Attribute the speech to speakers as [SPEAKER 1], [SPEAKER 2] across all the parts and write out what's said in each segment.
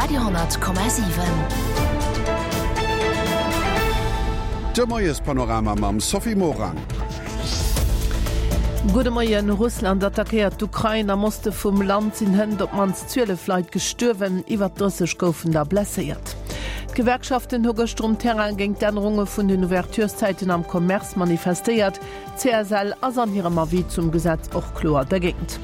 [SPEAKER 1] Radio,7.
[SPEAKER 2] De Moiespanorama mam Sophie Morang.
[SPEAKER 3] Gudde Moien, Russland attackéiert d'Ukrain. Am Oste vum Land sinn hënt op d'mannst 12 Leit gestuerwen, iwwer 30 goufen der blesséiert. D'Gewerkschaften hu gëschter um Terrain géint d'Ännerunge vun den Ouvertureszäiten am Commerce manifestéiert. D'CSL ass an hirem Avis zum Gesetz och kloer dergéint.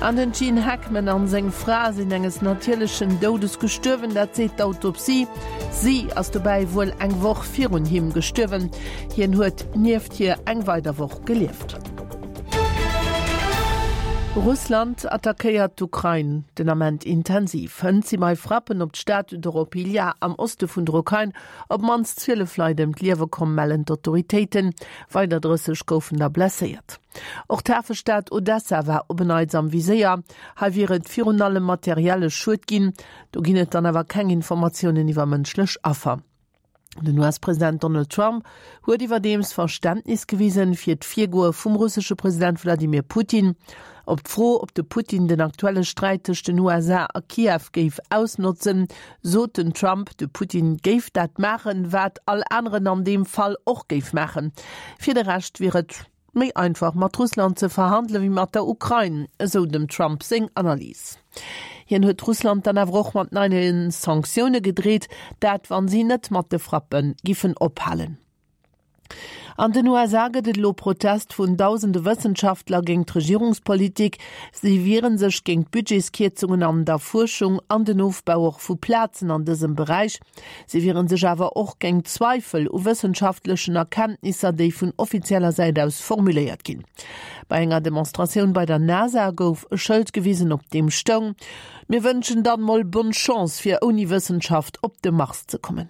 [SPEAKER 3] An den Gene Hackman an seng Fra sinn enges natierlechen Doudes gestuerwen, dat seet d'Autopsie. Si ass dobäi wuel eng Woch virun him gestuerwen. Hien huet nieft hir eng weider Woch gelieft. Russland attackéiert d'Ukrain den Ament intensiv. Hënt si bei Frappen op d'Stad Doropillia am Oste vun der Ukrain Op d'mannst 12 Leit ëm d'Liewe komm, mellen d'Autoritéiten. Weider 30 goufen der blesséiert. Och d'Hafestad Odessa war op en Neits am Viséier. Hei wier et virun allem materielle Schued ginn. Do ginn et dann awer keng Informatiounen iwwer mënschlech Affer. Den US-President Donald Trump huet iwwerdeems Verständnis gewisen fir d'Virgoe vum russesche President Wladimir Putin. Op d'Fro, ob de Putin den aktuelle Sträit tëscht den USA a Kiew géif ausnotzen, sot den Trump, de Putin géif dat maachen, wat all aneren an deem Fall och géif maachen. Fir de Rescht wier et méi einfach mat Russland ze verhandele wéi mat der Ukrain, esou dem Trump seng Analys. Hien huet Russland dann awer och mat neie Sanktioune gedreet, dat wann si net mat de Frappe giffen ophalen. An den USA gëtt et elo Protest vun dausende Wëssenschaftler géint d'Regierungspolitik. Si wiere sech géint d'Budgetskierzungen an der Fuerschung an den Ofbau och vu Plazen an dësem Beräich. Si wiere sech awer och géint Zweifel u wëssenschaftlechen Erkenntnisser, déi vun offizieller Säit aus formuléiert ginn. Bei enger Demonstratioun bei der NASA gouf e Schëld gewisen, op deem stoung, Mir wënschen dann mol bonne Chance fir ouni Wëssenschaft op de Mars ze kommen.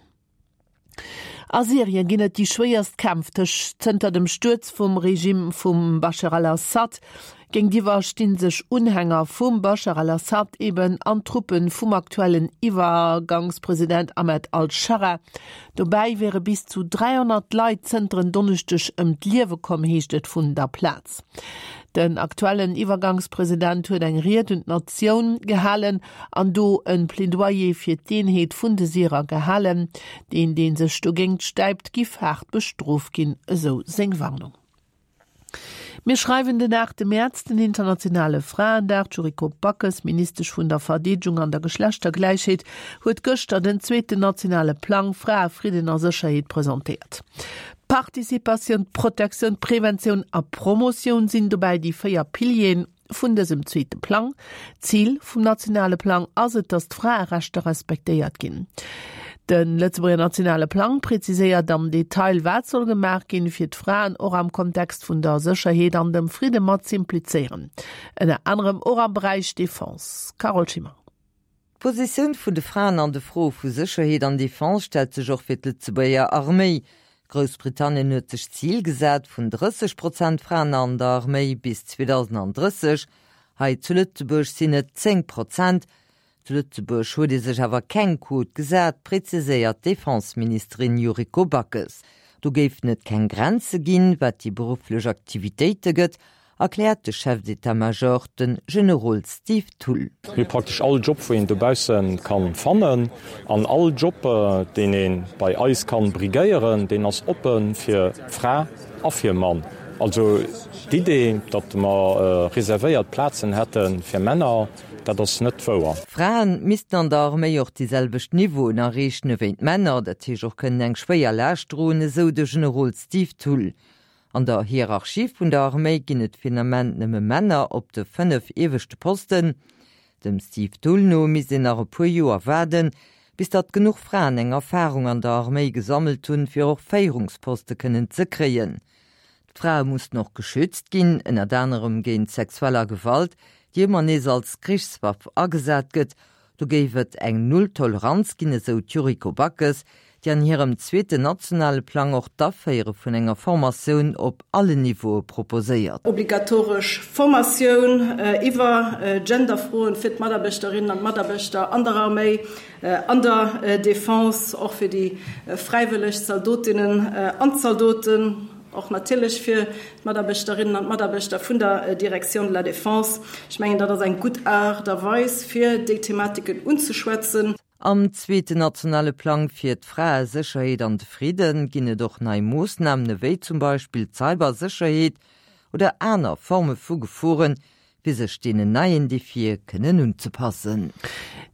[SPEAKER 3] A Syrien ginn et déi schwéierst Kämpf tëscht zënter dem Stuerz vum Regime vum Bashar al-Assad. Géintiwwer sti sech Unhänger vum Bashar al-Assad eben an d'Truppe vum aktuellen Iwwergangspresident Ahmed al-Schara. Dobäi wiere bis zu 300 Leit zënter en Donneschdeg ëm d'Liewe komm, heescht et vun der Plaz. Den aktuellen Iwwergangspresident huet eng Ried un d'Natioun gehalen an do e Plädoyer fir d'Eenheet vun de Syrer gehalen. Deen, dee sech dogéingt stäipt, giff haart bestrooft ginn, esou seng Warnung. Mir schreiwen den aachte Mäerz, den internationale Fraendag. D'Yuriko Backes, Ministesch vun der Verdeedegung an der Geschlechtergläichheet, huet gëschter den zweeten nationale Plang Frae, Fridden a Sécherheet presentéiert. Participatioun, Protektioun, Preventioun a Promotioun sinn dobäi déi 4 Pilieren vun dësem zweete Plang. Zil vum nationale Plang ass et, datt d'Fraerechter respektéiert ginn. De Lëtzebuerger nationale Plang präziséiert am Detail, wat soll gemaach ginn, fir d'Fraen och am Kontext vun der Sécherheet an dem Fridde mat z'implizéieren. Ënner anerem och am Beräich Defense. Carole Schimmer.
[SPEAKER 4] D'Positioun vun de Fraen an de Froe vu Sécherheet an Defense stellt sech och fir d'Lëtzebuerger Arméi. Groussbritannien huet sech d'Zil gesat vun 30 Prozent Fraen an der Arméi bis 2030. Hei zu Lëtzebuerg sinn et 10 Prozent. Zu Lëtzebuerg huet ee sech awer keng Quot gesat, preziséiert d'Defenseministerin Yuriko Backes. Do géifen et keng Grenze ginn, wat déi berufflech Aktivitéite gëtt erkläert de Chef d'état-major, de Generol Steve Thull.
[SPEAKER 5] Mir hu praktesch all Job, wou een dobausse kann fannen, an all Job, deen ee bei eis kann briguéieren, deen ass oppe fir Fra a fir Mann. Also d'Idee, datt mer reservéiert Plazen hätte fir Männer, dat ass net wouer.
[SPEAKER 4] Fraen missten an der Arméi och déi selwecht Niveauen erreechen ewéi d'Männer, dat heescht och kënnen eng schwéier Laascht droen, esou de Generol Steve Thull. An der Hierarchie vun der Arméi ginn et fir den Ament nëmme Männer op de 5 ieweschte Posten. Dem Steve Thull no misst een nach e puer Joer waarden, bis datt genuch Fraen eng Erfarung an der Arméi gesammelt hunn, fir och Féierungsposte kënnen ze kréien. D'Frae mussten och geschützt ginn, ënnert anerem géint sexueller Gewalt, déi ëmmer nees als Krichswaff agesat gëtt. Do géif et eng Null-Toleranz ginn, esou d'Yuriko Backes, déi an hirem zweeten nationale Plang och d'Aféiere vun enger Formatioun op allen Niveaue proposéiert.
[SPEAKER 6] Obligatoresch Formatioun iwwer Genderfroen fir d'Mataarbechterinnen an d'Mataarbechter an der Arméi, an der Defense, och fir déi fräiwëlleg Zaldotinnen an Zaldoten, och natierlech fir d'Mataarbechterinnen an d'Mataarbechter vun der Direction de la Défense. Ech mengen, dat ass eng gutt Aart a Weis, fir déi Thematiken unzeschwätzen.
[SPEAKER 4] Am zweeten nationale Plang fir d'Fraesécherheet an de Fridden ginn et och nei Moossnamen ewéi zum Beispill d'Cybersécherheet oder aner Forme vu Geforen, fir sech deenen neien Defie kënnen unzepassen.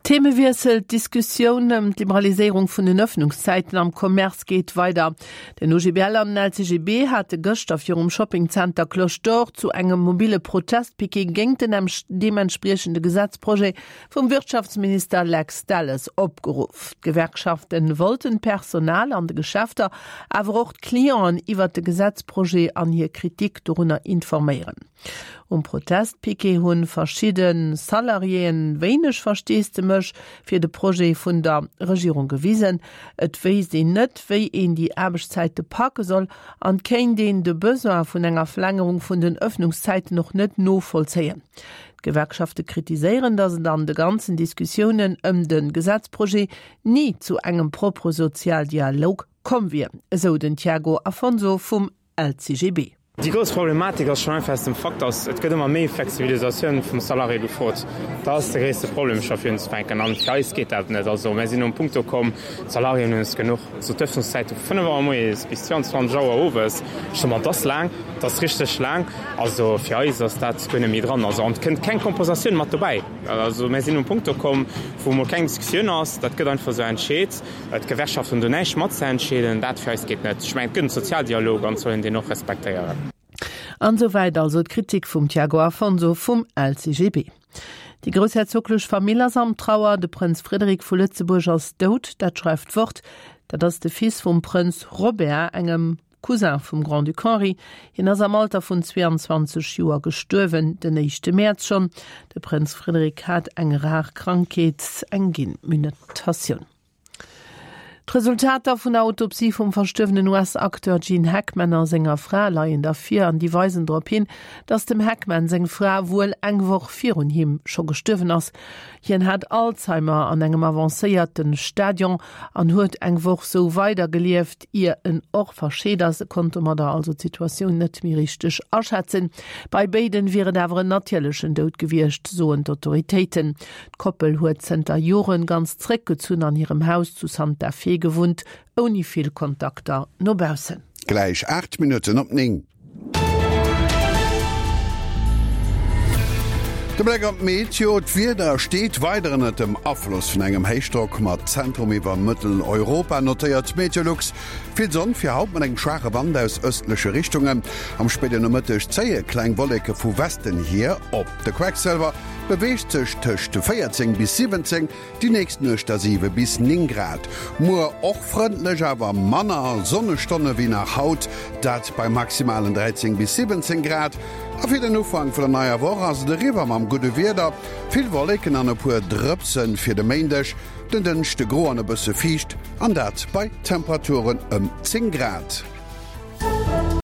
[SPEAKER 3] Themewiessel, D'Diskussioun ëm d'Liberaliséierung vun den Ëffnungszäiten am Commerce geet weider. Den OGBL an den LCGB hate gëschter virum Shoppingzenter Cloche d'Or zu engem mobile Protestpiquet géint den deementspriechende Gesetzprojet vum Wirtschaftsminister Lex Delles opgeruff. D'Gewerkschafte wollten d'Personal an de Geschäfter, awer och d'Clienten iwwert de Gesetzprojet an hir Kritik dorunner informéieren. Um Protestpiquet hu verschidde Salariéen wéineg Versteesdemech fir de Projet vun der Regierung gewisen. Et wéisst een net, wéi een déi Aarbechtszäite packe soll an kéint een de Besoin vun enger Verlängerung vun den Ëffnungszäiten och net novollzéien. D'Gewerkschafte kritiséieren, datt et an de ganzen Diskussiounen ëm de Gesetzprojet ni zu engem propre Sozialdialog komm wier, esou den Tiago Afonso vum LCGB.
[SPEAKER 1] Déi grouss Problematik ass schonn einfach aus dem Fakt, datt et gëtt ëmmer méi Flexibilisatioun vum Salarié gefrot. Dat ass de gréisste Problem scho fir unzefänken. An fir eis geet dat net. Also mär sinn um Punkt ukomm, d'Salariéen hunn es genuch. Also d'Ëffnungszäite vu 5 Auer moies bis 22 Auer owes, ech soe mer, dat ass laang, dat ass richteg laang. Also fir eis ass dat guer net méi dran. Also an et kënnt keng Kompensatioun mat dobäi. Also mär sinn um Punkt ukomm, wou emol keng Diskussioun ass. Dat gëtt einfach esou entscheet. D'Gewerkschaften hunn do näischt matzeentscheeden. Dat fir eis geet net. Ech mengen, et gëtt en Sozialdialog an et soll een deen och respektéieren.
[SPEAKER 3] An esou wäit also d'Kritik vum Tiago Afonso vum LCGB. Déi groussherzoglech Famill ass am Trauer. De Prënz Frederik vu Lëtzebuerg ass dout, dat schreift d'Wort. Dat ass de Fils vum Prënz Robert, engem Cousin vum Grand-Duc Henri. Hien ass am Alter vun 22 Joer gestuerwen, den éischte Mäerz schonn. De Prënz Frederik hat eng rar Krankheet, eng Genmutatioun. D'Resultater vun der Autopsie vum verstuerwenen US-Acteur Gene Hackman a senger Fra leien da vir an déi weisen drop hin, datt dem Hackman seng Fra wuel eng Woch virun him scho gestuerwen ass. Hien hat Alzheimer an engem avancéierte Stadion an huet eng Woch sou weider gelieft, ier en och verscheet ass. E konnt domadder also d'Situatioun net méi richteg aschätzen. Bei béiden wier et awer en natierlechen Doud gewiescht, soen d'Autoritéiten. D'Koppel huet zënter Joren ganz zréckgezunn an hirem Haus zu Santa Fe gewunnt, ouni vill Kontakter no baussen.
[SPEAKER 2] Gläich 8 Minutten op 9. De Bléck op d'Meteo, D'Wieder steet weider ënnert dem Afloss vun engem Héichdrock mat Zentrum iwwer Mëtteleuropa, notéiert Meteolux. Vill Sonn fir haut mat engem schwaache Wand aus ëstleche Richtungen. Am spéiden Nomëtteg zéie kleng Wolleke vu Westen hier op. De Quecksëlwer beweegt sech tëscht 14 bis 17, Déi nächst Nuecht da 7 bis 9 Grad. Muer och frëndlech, awer manner Sonnestonne wéi nach haut, dat bei maximalen 13 bis 17 Grad. A fir den Ufank vun der neier Woch ass et eriwwer mam gudde Wieder, vill Wolleken an e puer Drëpse fir de Méindeg, den Dënschde gro an e bësse fiicht, an dat bei Temperaturen ëm 10 Grad.